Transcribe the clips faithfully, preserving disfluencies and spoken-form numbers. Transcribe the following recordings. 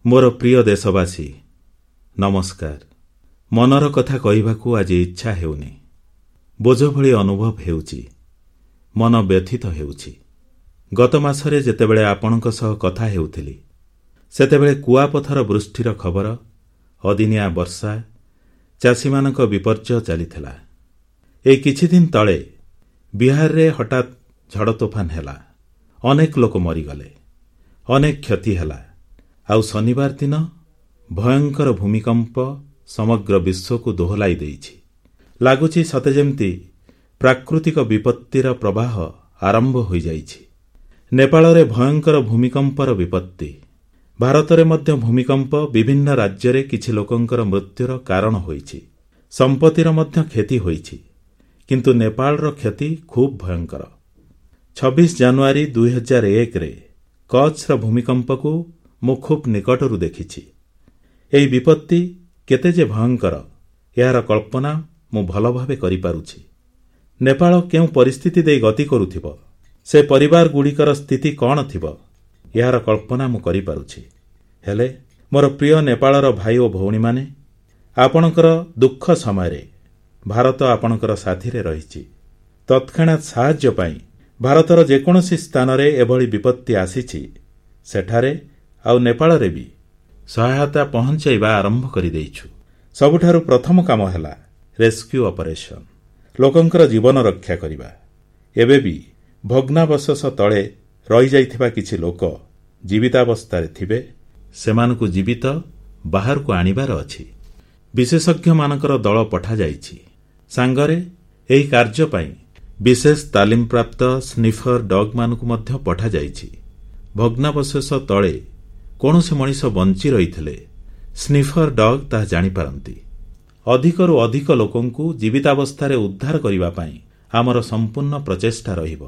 ମୋର ପ୍ରିୟ ଦେଶବାସୀ, ନମସ୍କାର। ମନର କଥା କହିବାକୁ ଆଜି ଇଚ୍ଛା ହେଉନି। ବୋଝ ଭଳି ଅନୁଭବ ହେଉଛି। ମନ ବ୍ୟଥିତ ହେଉଛି। ଗତ ମାସରେ ଯେତେବେଳେ ଆପଣଙ୍କ ସହ କଥା ହେଉଥିଲି, ସେତେବେଳେ କୁଆପଥର ବୃଷ୍ଟିର ଖବର, ଅଦିନିଆ ବର୍ଷା, ଚାଷୀମାନଙ୍କ ବିପର୍ଯ୍ୟୟ ଚାଲିଥିଲା। ଏଇ କିଛିଦିନ ତଳେ ବିହାରରେ ହଠାତ୍ ଝଡ଼ତୋଫାନ ହେଲା। ଅନେକ ଲୋକ ମରିଗଲେ, ଅନେକ କ୍ଷତି ହେଲା। ଆଉ ଶନିବାର ଦିନ ଭୟଙ୍କର ଭୂମିକମ୍ପ ସମଗ୍ର ବିଶ୍ୱକୁ ଦୋହଲାଇ ଦେଇଛି। ଲାଗୁଛି ସତେ ଯେମିତି ପ୍ରାକୃତିକ ବିପତ୍ତିର ପ୍ରବାହ ଆରମ୍ଭ ହୋଇଯାଇଛି। ନେପାଳରେ ଭୟଙ୍କର ଭୂମିକମ୍ପର ବିପତ୍ତି। ଭାରତରେ ମଧ୍ୟ ଭୂମିକମ୍ପ ବିଭିନ୍ନ ରାଜ୍ୟରେ କିଛି ଲୋକଙ୍କର ମୃତ୍ୟୁର କାରଣ ହୋଇଛି। ସମ୍ପତ୍ତିର ମଧ୍ୟ କ୍ଷତି ହୋଇଛି। କିନ୍ତୁ ନେପାଳର କ୍ଷତି ଖୁବ୍ ଭୟଙ୍କର। ଛବିଶ ଜାନୁଆରୀ ଦୁଇହଜାର ଏକରେ କଚ୍ଛର ଭୂମିକମ୍ପକୁ ମୁଁ ଖୁବ୍ ନିକଟରୁ ଦେଖିଛି। ଏହି ବିପତ୍ତି କେତେ ଯେ ଭୟଙ୍କର, ଏହାର କଳ୍ପନା ମୁଁ ଭଲଭାବେ କରିପାରୁଛି। ନେପାଳ କେଉଁ ପରିସ୍ଥିତି ଦେଇ ଗତି କରୁଥିବ, ସେ ପରିବାରଗୁଡ଼ିକର ସ୍ଥିତି କଣ ଥିବ, ଏହାର କଳ୍ପନା ମୁଁ କରିପାରୁଛି। ହେଲେ ମୋର ପ୍ରିୟ ନେପାଳର ଭାଇ ଓ ଭଉଣୀମାନେ, ଆପଣଙ୍କର ଦୁଃଖ ସମୟରେ ଭାରତ ଆପଣଙ୍କର ସାଥିରେ ରହିଛି। ତତ୍କ୍ଷଣାତ୍ ସାହାଯ୍ୟ ପାଇଁ ଭାରତର ଯେକୌଣସି ସ୍ଥାନରେ ଏଭଳି ବିପତ୍ତି ଆସିଛି, ସେଠାରେ ଆଉ ନେପାଳରେ ବି ସହାୟତା ପହଂଚାଇବା ଆରମ୍ଭ କରିଦେଇଛୁ। ସବୁଠାରୁ ପ୍ରଥମ କାମ ହେଲା ରେସ୍କ୍ୟୁ ଅପରେସନ, ଲୋକଙ୍କର ଜୀବନ ରକ୍ଷା କରିବା। ଏବେ ବି ଭଗ୍ନାବଶେଷ ତଳେ ରହିଯାଇଥିବା କିଛି ଲୋକ ଜୀବିତାବସ୍ଥାରେ ଥିବେ, ସେମାନଙ୍କୁ ଜୀବିତ ବାହାରକୁ ଆଣିବାର ଅଛି। ବିଶେଷଜ୍ଞମାନଙ୍କର ଦଳ ପଠାଯାଇଛି। ସାଙ୍ଗରେ ଏହି କାର୍ଯ୍ୟ ପାଇଁ ବିଶେଷ ତାଲିମପ୍ରାପ୍ତ ସ୍ନିଫର ଡଗ୍ମାନଙ୍କୁ ମଧ୍ୟ ପଠାଯାଇଛି। ଭଗ୍ନାବଶେଷ ତଳେ କୌଣସି ମଣିଷ ବଞ୍ଚି ରହିଥିଲେ ସ୍ନିଫର ଡଗ୍ ତାହା ଜାଣିପାରନ୍ତି। ଅଧିକରୁ ଅଧିକ ଲୋକଙ୍କୁ ଜୀବିତାବସ୍ଥାରେ ଉଦ୍ଧାର କରିବା ପାଇଁ ଆମର ସମ୍ପୂର୍ଣ୍ଣ ପ୍ରଚେଷ୍ଟା ରହିବ।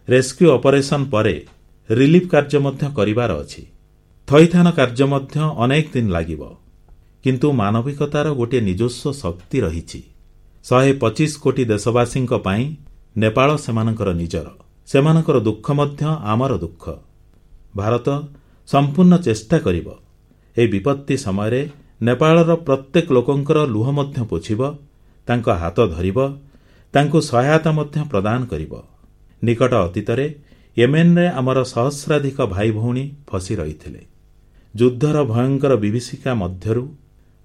ରେସ୍କ୍ୟୁ ଅପରେସନ ପରେ ରିଲିଫ୍ କାର୍ଯ୍ୟ ମଧ୍ୟ କରିବାର ଅଛି। ଥଇଥାନ କାର୍ଯ୍ୟ ମଧ୍ୟ ଅନେକ ଦିନ ଲାଗିବ। କିନ୍ତୁ ମାନବିକତାର ଗୋଟିଏ ନିଜସ୍ୱ ଶକ୍ତି ରହିଛି। ଶହେ ପଚିଶ କୋଟି ଦେଶବାସୀଙ୍କ ପାଇଁ ନେପାଳ ସେମାନଙ୍କର ନିଜର। ସେମାନଙ୍କର ଦୁଃଖ ମଧ୍ୟ ଆମର ଦୁଃଖ। ଭାରତ ସମ୍ପୂର୍ଣ୍ଣ ଚେଷ୍ଟା କରିବ। ଏହି ବିପତ୍ତି ସମୟରେ ନେପାଳର ପ୍ରତ୍ୟେକ ଲୋକଙ୍କର ଲୁହ ମଧ୍ୟ ପୋଛିବ, ତାଙ୍କ ହାତ ଧରିବ, ତାଙ୍କୁ ସହାୟତା ମଧ୍ୟ ପ୍ରଦାନ କରିବ। ନିକଟ ଅତୀତରେ ୟେମେନରେ ଆମର ସହସ୍ରାଧିକ ଭାଇଭଉଣୀ ଫସି ରହିଥିଲେ। ଯୁଦ୍ଧର ଭୟଙ୍କର ବିଭୀଷିକା ମଧ୍ୟରୁ,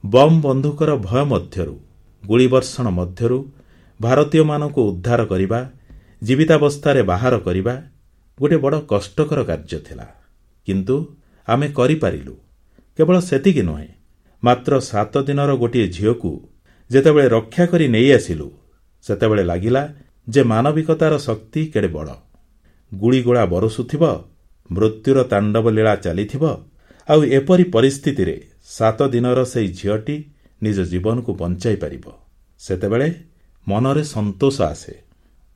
ବମ୍ ବନ୍ଧୁକର ଭୟ ମଧ୍ୟରୁ, ଗୁଳିବର୍ଷଣ ମଧ୍ୟରୁ ଭାରତୀୟମାନଙ୍କୁ ଉଦ୍ଧାର କରିବା, ଜୀବିତାବସ୍ଥାରେ ବାହାର କରିବା ଗୋଟିଏ ବଡ଼ କଷ୍ଟକର କାର୍ଯ୍ୟ ଥିଲା। କିନ୍ତୁ ଆମେ କରିପାରିଲୁ। କେବଳ ସେତିକି ନୁହେଁ, ମାତ୍ର ସାତ ଦିନର ଗୋଟିଏ ଝିଅକୁ ଯେତେବେଳେ ରକ୍ଷା କରି ନେଇଆସିଲୁ, ସେତେବେଳେ ଲାଗିଲା ଯେ ମାନବିକତାର ଶକ୍ତି କେଡ଼େ ବଡ଼। ଗୁଳିଗୋଳା ବରଷୁଥିବ, ମୃତ୍ୟୁର ତାଣ୍ଡବଲୀଳା ଚାଲିଥିବ, ଆଉ ଏପରି ପରିସ୍ଥିତିରେ ସାତ ଦିନର ସେଇ ଝିଅଟି ନିଜ ଜୀବନକୁ ବଞ୍ଚାଇ ପାରିବ, ସେତେବେଳେ ମନରେ ସନ୍ତୋଷ ଆସେ।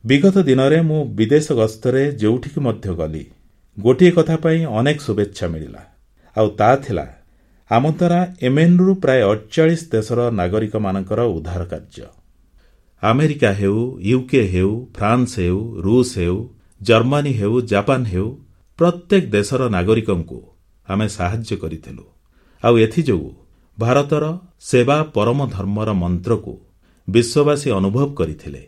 ବିଗତ ଦିନରେ ମୁଁ ବିଦେଶ ଗସ୍ତରେ ଯେଉଁଠିକୁ ମଧ୍ୟ ଗଲି, ଗୋଟିଏ କଥା ପାଇଁ ଅନେକ ଶୁଭେଚ୍ଛା ମିଳିଲା। ଆଉ ତାହା ଥିଲା ଆମ ଦ୍ୱାରା ୟେମେନରୁ ପ୍ରାୟ ଅଠଚାଳିଶ ଦେଶର ନାଗରିକମାନଙ୍କର ଉଦ୍ଧାର କାର୍ଯ୍ୟ। ଆମେରିକା ହେଉ, ୟୁକେ ହେଉ, ଫ୍ରାନ୍ସ ହେଉ, ରୁଷ ହେଉ, ଜର୍ମାନୀ ହେଉ, ଜାପାନ ହେଉ, ପ୍ରତ୍ୟେକ ଦେଶର ନାଗରିକଙ୍କୁ ଆମେ ସାହାଯ୍ୟ କରିଥିଲୁ। ଆଉ ଏଥିଯୋଗୁଁ ଭାରତର ସେବା ପରମ ଧର୍ମର ମନ୍ତ୍ରକୁ ବିଶ୍ୱବାସୀ ଅନୁଭବ କରିଥିଲେ।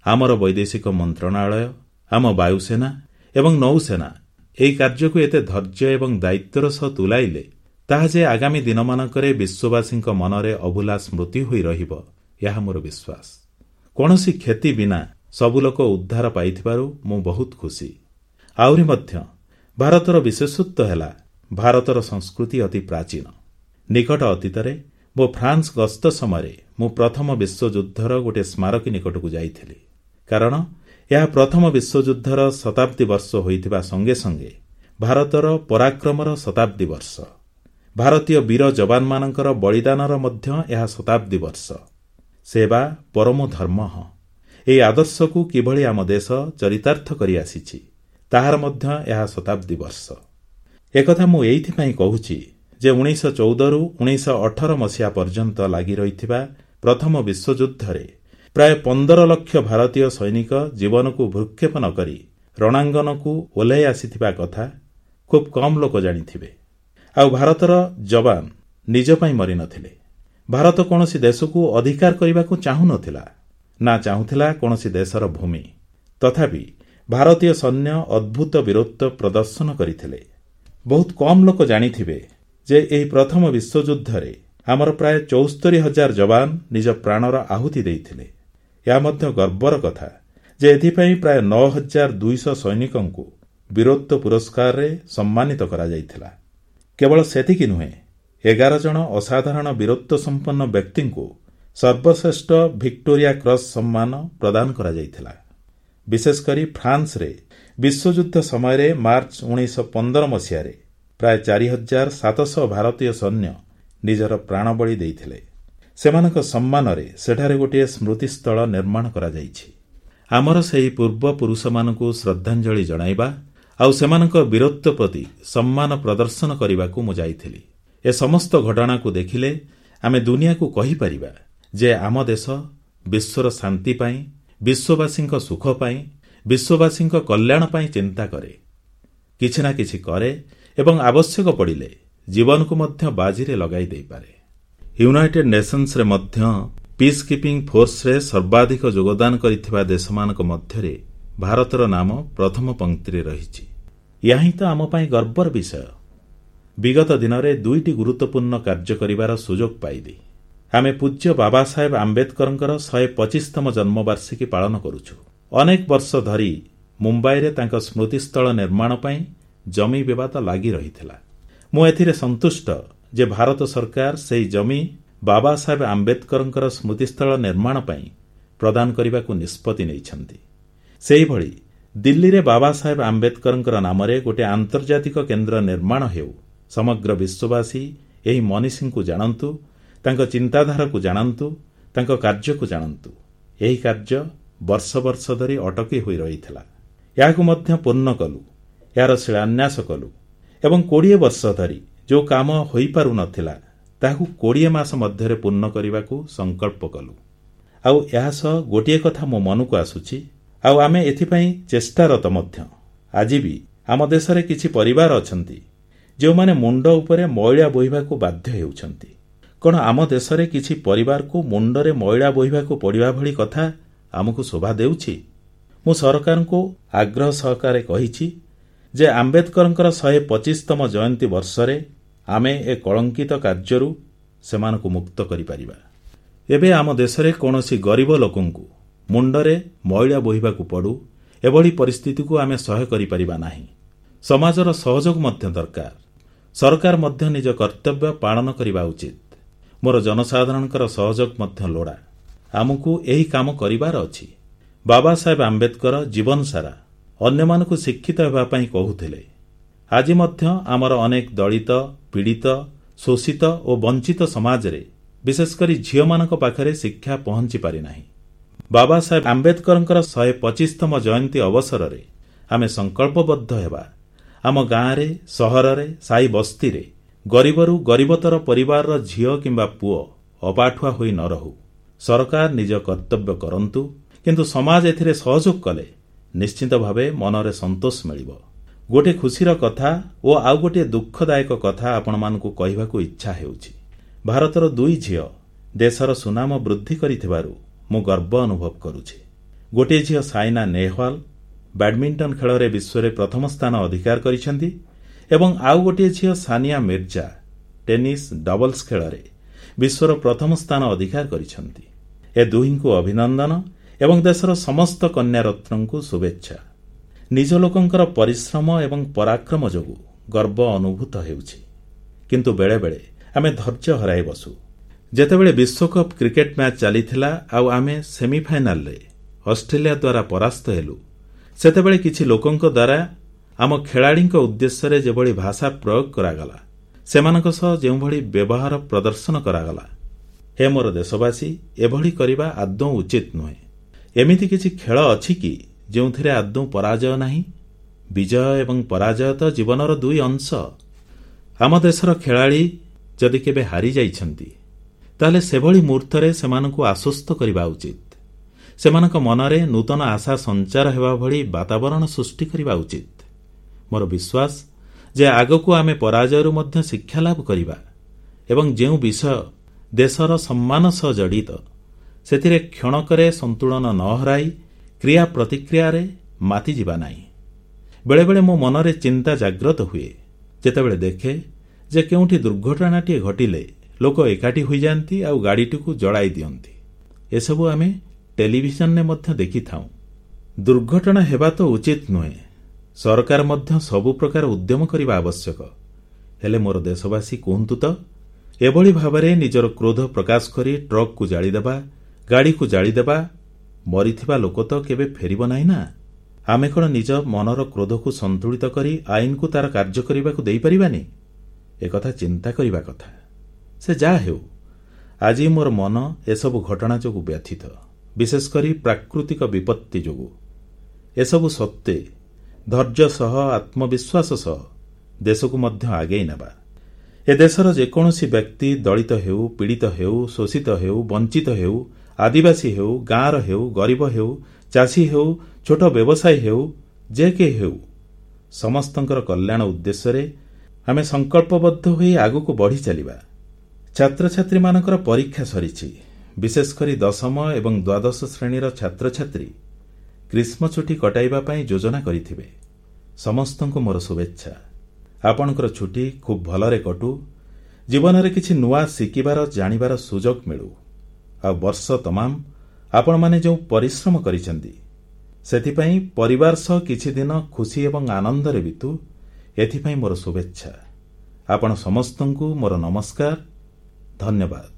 ଆମର ବୈଦେଶିକ ମନ୍ତ୍ରଣାଳୟ, ଆମ ବାୟୁସେନା ଏବଂ ନୌସେନା ଏହି କାର୍ଯ୍ୟକୁ ଏତେ ଧୈର୍ଯ୍ୟ ଏବଂ ଦାୟିତ୍ୱର ସହ ତୁଲାଇଲେ, ତାହା ଯେ ଆଗାମୀ ଦିନମାନଙ୍କରେ ବିଶ୍ୱବାସୀଙ୍କ ମନରେ ଅଭୁଲା ସ୍ମୃତି ହୋଇ ରହିବ, ଏହା ମୋର ବିଶ୍ୱାସ। କୌଣସି କ୍ଷତି ବିନା ସବୁ ଲୋକ ଉଦ୍ଧାର ପାଇଥିବାରୁ ମୁଁ ବହୁତ ଖୁସି। ଆହୁରି ମଧ୍ୟ ଭାରତର ବିଶେଷତ୍ୱ ହେଲା ଭାରତର ସଂସ୍କୃତି ଅତି ପ୍ରାଚୀନ। ନିକଟ ଅତୀତରେ ମୋ ଫ୍ରାନ୍ସ ଗସ୍ତ ସମୟରେ ମୁଁ ପ୍ରଥମ ବିଶ୍ୱଯୁଦ୍ଧର ଗୋଟିଏ ସ୍ମାରକୀ ନିକଟକୁ ଯାଇଥିଲି। କାରଣ ଏହା ପ୍ରଥମ ବିଶ୍ୱଯୁଦ୍ଧର ଶତାବ୍ଦୀ ବର୍ଷ ହୋଇଥିବା ସଙ୍ଗେ ସଙ୍ଗେ ଭାରତର ପରାକ୍ରମର ଶତାବ୍ଦୀ ବର୍ଷ। ଭାରତୀୟ ବୀର ଯବାନମାନଙ୍କର ବଳିଦାନର ମଧ୍ୟ ଏହା ଶତାବ୍ଦୀ ବର୍ଷ। ସେବା ପରମୋ ଧର୍ମଃ, ଏହି ଆଦର୍ଶକୁ କିଭଳି ଆମ ଦେଶ ଚରିତାର୍ଥ କରି ଆସିଛି, ତାହାର ମଧ୍ୟ ଏହା ଶତାବ୍ଦୀ ବର୍ଷ। ଏକଥା ମୁଁ ଏଇଥିପାଇଁ କହୁଛି ଯେ ଉଣେଇଶହ ଚଉଦରୁ ଉଣେଇଶହ ଅଠର ମସିହା ପର୍ଯ୍ୟନ୍ତ ଲାଗି ରହିଥିବା ପ୍ରଥମ ବିଶ୍ୱଯୁଦ୍ଧରେ ପ୍ରାୟ ପନ୍ଦର ଲକ୍ଷ ଭାରତୀୟ ସୈନିକ ଜୀବନକୁ ଭ୍ରୂକ୍ଷେପ ନ କରି ରଣାଙ୍ଗନକୁ ଓହ୍ଲାଇ ଆସିଥିବା କଥା ଖୁବ୍ କମ୍ ଲୋକ ଜାଣିଥିବେ। ଆଉ ଭାରତର ଯବାନ ନିଜ ପାଇଁ ମରିନଥିଲେ। ଭାରତ କୌଣସି ଦେଶକୁ ଅଧିକାର କରିବାକୁ ଚାହୁଁନଥିଲା, ନା ଚାହୁଁଥିଲା କୌଣସି ଦେଶର ଭୂମି। ତଥାପି ଭାରତୀୟ ସୈନ୍ୟ ଅଦ୍ଭୁତ ବୀରତ୍ୱ ପ୍ରଦର୍ଶନ କରିଥିଲେ। ବହୁତ କମ୍ ଲୋକ ଜାଣିଥିବେ ଯେ ଏହି ପ୍ରଥମ ବିଶ୍ୱଯୁଦ୍ଧରେ ଆମର ପ୍ରାୟ ଚଉସ୍ତରୀ ହଜାର ଯବାନ ନିଜ ପ୍ରାଣର ଆହୁତି ଦେଇଥିଲେ। ଏହା ମଧ୍ୟ ଗର୍ବର କଥା ଯେ ଏଥିପାଇଁ ପ୍ରାୟ ନଅ ହଜାର ଦୁଇଶହ ସୈନିକଙ୍କୁ ବୀରତ୍ୱ ପୁରସ୍କାରରେ ସମ୍ମାନିତ କରାଯାଇଥିଲା। କେବଳ ସେତିକି ନୁହେଁ, ଏଗାର ଜଣ ଅସାଧାରଣ ବୀରତ୍ୱ ସମ୍ପନ୍ନ ବ୍ୟକ୍ତିଙ୍କୁ ସର୍ବଶ୍ରେଷ୍ଠ ଭିକ୍ଟୋରିଆ କ୍ରସ୍ ସମ୍ମାନ ପ୍ରଦାନ କରାଯାଇଥିଲା। ବିଶେଷକରି ଫ୍ରାନ୍ସରେ ବିଶ୍ୱଯୁଦ୍ଧ ସମୟରେ ମାର୍ଚ୍ଚ ଉଣେଇଶହ ପନ୍ଦର ମସିହାରେ ପ୍ରାୟ ଚାରି ହଜାର ସାତଶହ ଭାରତୀୟ ସୈନ୍ୟ ନିଜର ପ୍ରାଣବଳି ଦେଇଥିଲେ। ସେମାନଙ୍କ ସମ୍ମାନରେ ସେଠାରେ ଗୋଟିଏ ସ୍ମୃତିସ୍ଥଳ ନିର୍ମାଣ କରାଯାଇଛି। ଆମର ସେହି ପୂର୍ବପୁରୁଷମାନଙ୍କୁ ଶ୍ରଦ୍ଧାଞ୍ଜଳି ଜଣାଇବା ଆଉ ସେମାନଙ୍କ ବୀରତ୍ୱ ପ୍ରତି ସମ୍ମାନ ପ୍ରଦର୍ଶନ କରିବାକୁ ମୁଁ ଯାଇଥିଲି। ଏ ସମସ୍ତ ଘଟଣାକୁ ଦେଖିଲେ ଆମେ ଦୁନିଆକୁ କହିପାରିବା ଯେ ଆମ ଦେଶ ବିଶ୍ୱର ଶାନ୍ତି ପାଇଁ, ବିଶ୍ୱବାସୀଙ୍କ ସୁଖ ପାଇଁ, ବିଶ୍ୱବାସୀଙ୍କ କଲ୍ୟାଣ ପାଇଁ ଚିନ୍ତା କରେ, କିଛି ନା କିଛି କରେ ଏବଂ ଆବଶ୍ୟକ ପଡ଼ିଲେ ଜୀବନକୁ ମଧ୍ୟ ବାଜିରେ ଲଗାଇ ଦେଇପାରେ। ୟୁନାଇଟେଡ୍ ନେସନ୍ସରେ ମଧ୍ୟ ପିସ୍ କିପିଂ ଫୋର୍ସରେ ସର୍ବାଧିକ ଯୋଗଦାନ କରିଥିବା ଦେଶମାନଙ୍କ ମଧ୍ୟରେ ଭାରତର ନାମ ପ୍ରଥମ ପଂକ୍ତିରେ ରହିଛି। ଏହା ହିଁ ତ ଆମ ପାଇଁ ଗର୍ବର ବିଷୟ। ବିଗତ ଦିନରେ ଦୁଇଟି ଗୁରୁତ୍ୱପୂର୍ଣ୍ଣ କାର୍ଯ୍ୟ କରିବାର ସୁଯୋଗ ପାଇଲି। ଆମେ ପୂଜ୍ୟ ବାବାସାହେବ ଆମ୍ବେଦକରଙ୍କର ଶହେ ପଚିଶତମ ଜନ୍ମବାର୍ଷିକୀ ପାଳନ କରୁଛୁ। ଅନେକ ବର୍ଷ ଧରି ମୁମ୍ବାଇରେ ତାଙ୍କ ସ୍ମୃତିସ୍ଥଳ ନିର୍ମାଣ ପାଇଁ ଜମି ବିବାଦ ଲାଗି ରହିଥିଲା। ମୁଁ ଏଥିରେ ସନ୍ତୁଷ୍ଟ ଯେ ଭାରତ ସରକାର ସେହି ଜମି ବାବାସାହେବ ଆମ୍ବେଦକରଙ୍କର ସ୍ମୃତିସ୍ଥଳ ନିର୍ମାଣ ପାଇଁ ପ୍ରଦାନ କରିବାକୁ ନିଷ୍ପତ୍ତି ନେଇଛନ୍ତି। ସେହିଭଳି ଦିଲ୍ଲୀରେ ବାବାସାହେବ ଆମ୍ବେଦକରଙ୍କ ନାମରେ ଗୋଟିଏ ଆନ୍ତର୍ଜାତିକ କେନ୍ଦ୍ର ନିର୍ମାଣ ହେଉ। ସମଗ୍ର ବିଶ୍ୱବାସୀ ଏହି ମନୀଷୀଙ୍କୁ ଜାଣନ୍ତୁ, ତାଙ୍କ ଚିନ୍ତାଧାରାକୁ ଜାଣନ୍ତୁ, ତାଙ୍କ କାର୍ଯ୍ୟକୁ ଜାଣନ୍ତୁ। ଏହି କାର୍ଯ୍ୟ ବର୍ଷ ବର୍ଷ ଧରି ଅଟକି ହୋଇ ରହିଥିଲା। ଏହାକୁ ମଧ୍ୟ ପୂର୍ଣ୍ଣ କଲୁ, ଏହାର ଶିଳାନ୍ୟାସ କଲୁ ଏବଂ କୋଡ଼ିଏ ବର୍ଷ ଧରି ଯେଉଁ କାମ ହୋଇପାରୁନଥିଲା ତାହାକୁ କୋଡ଼ିଏ ମାସ ମଧ୍ୟରେ ପୂର୍ଣ୍ଣ କରିବାକୁ ସଂକଳ୍ପ କଲୁ। ଆଉ ଏହାସହ ଗୋଟିଏ କଥା ମୋ ମନକୁ ଆସୁଛି, ଆଉ ଆମେ ଏଥିପାଇଁ ଚେଷ୍ଟାରତ ମଧ୍ୟ। ଆଜି ବି ଆମ ଦେଶରେ କିଛି ପରିବାର ଅଛନ୍ତି ଯେଉଁମାନେ ମୁଣ୍ଡ ଉପରେ ମଇଳା ବୋହିବାକୁ ବାଧ୍ୟ ହେଉଛନ୍ତି। କଣ ଆମ ଦେଶରେ କିଛି ପରିବାରକୁ ମୁଣ୍ଡରେ ମଇଳା ବୋହିବାକୁ ପଡ଼ିବା ଭଳି କଥା ଆମକୁ ଶୋଭା ଦେଉଛି? ମୁଁ ସରକାରଙ୍କୁ ଆଗ୍ରହ ସହକାରେ କହିଛି ଯେ ଆମ୍ବେଦକରଙ୍କର ଶହେ ପଚିଶତମ ଜୟନ୍ତୀ ବର୍ଷରେ ଆମେ ଏ କଳଙ୍କିତ କାର୍ଯ୍ୟରୁ ସେମାନଙ୍କୁ ମୁକ୍ତ କରିପାରିବା। ଏବେ ଆମ ଦେଶରେ କୌଣସି ଗରିବ ଲୋକଙ୍କୁ ମୁଣ୍ଡରେ ମଇଳା ବୋହିବାକୁ ପଡ଼ୁ, ଏଭଳି ପରିସ୍ଥିତିକୁ ଆମେ ସହ୍ୟ କରିପାରିବା ନାହିଁ। ସମାଜର ସହଯୋଗ ମଧ୍ୟ ଦରକାର। ସରକାର ମଧ୍ୟ ନିଜ କର୍ତ୍ତବ୍ୟ ପାଳନ କରିବା ଉଚିତ। ମୋର ଜନସାଧାରଣଙ୍କର ସହଯୋଗ ମଧ୍ୟ ଲୋଡ଼ା। ଆମକୁ ଏହି କାମ କରିବାର ଅଛି। ବାବାସାହେବ ଆମ୍ବେଦକର ଜୀବନସାରା ଅନ୍ୟମାନଙ୍କୁ ଶିକ୍ଷିତ ହେବା ପାଇଁ କହୁଥିଲେ। ଆଜି ମଧ୍ୟ ଆମର ଅନେକ ଦଳିତ, ପୀଡ଼ିତ, ଶୋଷିତ ଓ ବଞ୍ଚିତ ସମାଜରେ ବିଶେଷକରି ଝିଅମାନଙ୍କ ପାଖରେ ଶିକ୍ଷା ପହଞ୍ଚି ପାରିନାହିଁ। ବାବାସାହେବ ଆମ୍ବେଦକରଙ୍କର ଶହେ ପଚିଶତମ ଜୟନ୍ତୀ ଅବସରରେ ଆମେ ସଂକଳ୍ପବଦ୍ଧ ହେବା। ଆମ ଗାଁରେ, ସହରରେ, ସାହି ବସ୍ତିରେ ଗରିବରୁ ଗରିବତର ପରିବାରର ଝିଅ କିମ୍ବା ପୁଅ ଅପାଠୁଆ ହୋଇ ନ ରହୁ। ସରକାର ନିଜ କର୍ତ୍ତବ୍ୟ କରନ୍ତୁ, କିନ୍ତୁ ସମାଜ ଏଥିରେ ସହଯୋଗ କଲେ ନିଶ୍ଚିତ ଭାବେ ମନରେ ସନ୍ତୋଷ ମିଳିବ। ଗୋଟିଏ ଖୁସିର କଥା ଓ ଆଉ ଗୋଟିଏ ଦୁଃଖଦାୟକ କଥା ଆପଣମାନଙ୍କୁ କହିବାକୁ ଇଚ୍ଛା ହେଉଛି। ଭାରତର ଦୁଇ ଝିଅ ଦେଶର ସୁନାମ ବୃଦ୍ଧି କରିଥିବାରୁ ମୁଁ ଗର୍ବ ଅନୁଭବ କରୁଛି। ଗୋଟିଏ ଝିଅ ସାଇନା ନେହୱାଲ ବ୍ୟାଡମିଣ୍ଟନ ଖେଳରେ ବିଶ୍ୱରେ ପ୍ରଥମ ସ୍ଥାନ ଅଧିକାର କରିଛନ୍ତି ଏବଂ ଆଉ ଗୋଟିଏ ଝିଅ ସାନିଆ ମିର୍ଜା ଟେନିସ୍ ଡବଲ୍ସ ଖେଳରେ ବିଶ୍ୱର ପ୍ରଥମ ସ୍ଥାନ ଅଧିକାର କରିଛନ୍ତି। ଏ ଦୁହିଁଙ୍କୁ ଅଭିନନ୍ଦନ ଏବଂ ଦେଶର ସମସ୍ତ କନ୍ୟାରତ୍ନଙ୍କୁ ଶୁଭେଚ୍ଛା। ନିଜ ଲୋକଙ୍କର ପରିଶ୍ରମ ଏବଂ ପରାକ୍ରମ ଯୋଗୁଁ ଗର୍ବ ଅନୁଭୂତ ହେଉଛି। କିନ୍ତୁ ବେଳେବେଳେ ଆମେ ଧୈର୍ଯ୍ୟ ହରାଇ ବସୁ। ଯେତେବେଳେ ବିଶ୍ୱକପ୍ କ୍ରିକେଟ ମ୍ୟାଚ୍ ଚାଲିଥିଲା ଆଉ ଆମେ ସେମିଫାଇନାଲରେ ଅଷ୍ଟ୍ରେଲିଆ ଦ୍ୱାରା ପରାସ୍ତ ହେଲୁ, ସେତେବେଳେ କିଛି ଲୋକଙ୍କ ଦ୍ୱାରା ଆମ ଖେଳାଳିଙ୍କ ଉଦ୍ଦେଶ୍ୟରେ ଯେଭଳି ଭାଷା ପ୍ରୟୋଗ କରାଗଲା, ସେମାନଙ୍କ ସହ ଯେଉଁଭଳି ବ୍ୟବହାର ପ୍ରଦର୍ଶନ କରାଗଲା, ହେ ମୋର ଦେଶବାସୀ, ଏଭଳି କରିବା ଆଦୌ ଉଚିତ ନୁହେଁ। ଏମିତି କିଛି ଖେଳ ଅଛି କି ଯେଉଁଥିରେ ଆଦୌ ପରାଜୟ ନାହିଁ? ବିଜୟ ଏବଂ ପରାଜୟ ତ ଜୀବନର ଦୁଇ ଅଂଶ। ଆମ ଦେଶର ଖେଳାଳି ଯଦି କେବେ ହାରିଯାଇଛନ୍ତି, ତାହେଲେ ସେଭଳି ମୁହୂର୍ତ୍ତରେ ସେମାନଙ୍କୁ ଆଶ୍ୱସ୍ତ କରିବା ଉଚିତ। ସେମାନଙ୍କ ମନରେ ନୂତନ ଆଶା ସଞ୍ଚାର ହେବା ଭଳି ବାତାବରଣ ସୃଷ୍ଟି କରିବା ଉଚିତ। ମୋର ବିଶ୍ୱାସ ଯେ ଆଗକୁ ଆମେ ପରାଜୟରୁ ମଧ୍ୟ ଶିକ୍ଷାଲାଭ କରିବା ଏବଂ ଯେଉଁ ବିଷୟ ଦେଶର ସମ୍ମାନ ସହ ଜଡ଼ିତ, ସେଥିରେ କ୍ଷଣକରେ ସନ୍ତୁଳନ ନ ହରାଇ କ୍ରିୟା ପ୍ରତିକ୍ରିୟାରେ ମାତିଯିବା ନାହିଁ। ବେଳେବେଳେ ମୋ ମନରେ ଚିନ୍ତା ଜାଗ୍ରତ ହୁଏ, ଯେତେବେଳେ ଦେଖେ ଯେ କେଉଁଠି ଦୁର୍ଘଟଣାଟିଏ ଘଟିଲେ ଲୋକ ଏକାଠି ହୋଇଯାଆନ୍ତି ଆଉ ଗାଡ଼ିଟିକୁ ଜଳାଇ ଦିଅନ୍ତି। ଏସବୁ ଆମେ ଟେଲିଭିଜନରେ ମଧ୍ୟ ଦେଖିଥାଉଁ। ଦୁର୍ଘଟଣା ହେବା ତ ଉଚିତ ନୁହେଁ। ସରକାର ମଧ୍ୟ ସବୁ ପ୍ରକାର ଉଦ୍ୟମ କରିବା ଆବଶ୍ୟକ। ହେଲେ ମୋର ଦେଶବାସୀ, କୁହନ୍ତୁ ତ, ଏଭଳି ଭାବରେ ନିଜର କ୍ରୋଧ ପ୍ରକାଶ କରି ଟ୍ରକକୁ ଜାଳିଦେବା, ଗାଡ଼ିକୁ ଜାଳିଦେବା, ମରିଥିବା ଲୋକ ତ କେବେ ଫେରିବ ନାହିଁ ନା? ଆମେ କଣ ନିଜ ମନର କ୍ରୋଧକୁ ସନ୍ତୁଳିତ କରି ଆଇନକୁ ତାର କାର୍ଯ୍ୟ କରିବାକୁ ଦେଇପାରିବାନି? ଏକଥା ଚିନ୍ତା କରିବା କଥା। ସେ ଯାହା ହେଉ, ଆଜି ମୋର ମନ ଏସବୁ ଘଟଣା ଯୋଗୁଁ ବ୍ୟଥିତ, ବିଶେଷକରି ପ୍ରାକୃତିକ ବିପତ୍ତି ଯୋଗୁଁ। ଏସବୁ ସତ୍ତ୍ୱେ ଧୈର୍ଯ୍ୟ ସହ, ଆତ୍ମବିଶ୍ୱାସ ସହ ଦେଶକୁ ମଧ୍ୟ ଆଗେଇ ନେବା। ଏ ଦେଶର ଯେକୌଣସି ବ୍ୟକ୍ତି ଦଳିତ ହେଉ, ପୀଡ଼ିତ ହେଉ, ଶୋଷିତ ହେଉ, ବଞ୍ଚିତ ହେଉ, ଆଦିବାସୀ ହେଉ, ଗାଁର ହେଉ, ଗରିବ ହେଉ, ଚାଷୀ ହେଉ, ଛୋଟ ବ୍ୟବସାୟୀ ହେଉ, ଯେ କେହି ହେଉ, ସମସ୍ତଙ୍କର କଲ୍ୟାଣ ଉଦ୍ଦେଶ୍ୟରେ ଆମେ ସଂକଳ୍ପବଦ୍ଧ ହୋଇ ଆଗକୁ ବଢ଼ି ଚାଲିବା। ଛାତ୍ରଛାତ୍ରୀମାନଙ୍କର ପରୀକ୍ଷା ସରିଛି। ବିଶେଷକରି ଦଶମ ଏବଂ ଦ୍ୱାଦଶ ଶ୍ରେଣୀର ଛାତ୍ରଛାତ୍ରୀ ଗ୍ରୀଷ୍ମ ଛୁଟି କଟାଇବା ପାଇଁ ଯୋଜନା କରିଥିବେ। ସମସ୍ତଙ୍କୁ ମୋର ଶୁଭେଚ୍ଛା। ଆପଣଙ୍କର ଛୁଟି ଖୁବ୍ ଭଲରେ କଟୁ। ଜୀବନରେ କିଛି ନୂଆ ଶିଖିବାର, ଜାଣିବାର ସୁଯୋଗ ମିଳୁ। ଆଉ ବର୍ଷ ତମାମ ଆପଣମାନେ ଯେଉଁ ପରିଶ୍ରମ କରିଛନ୍ତି, ସେଥିପାଇଁ ପରିବାର ସହ କିଛି ଦିନ ଖୁସି ଏବଂ ଆନନ୍ଦରେ ବିତୁ, ଏଥିପାଇଁ ମୋର ଶୁଭେଚ୍ଛା। ଆପଣ ସମସ୍ତଙ୍କୁ ମୋର ନମସ୍କାର, ଧନ୍ୟବାଦ।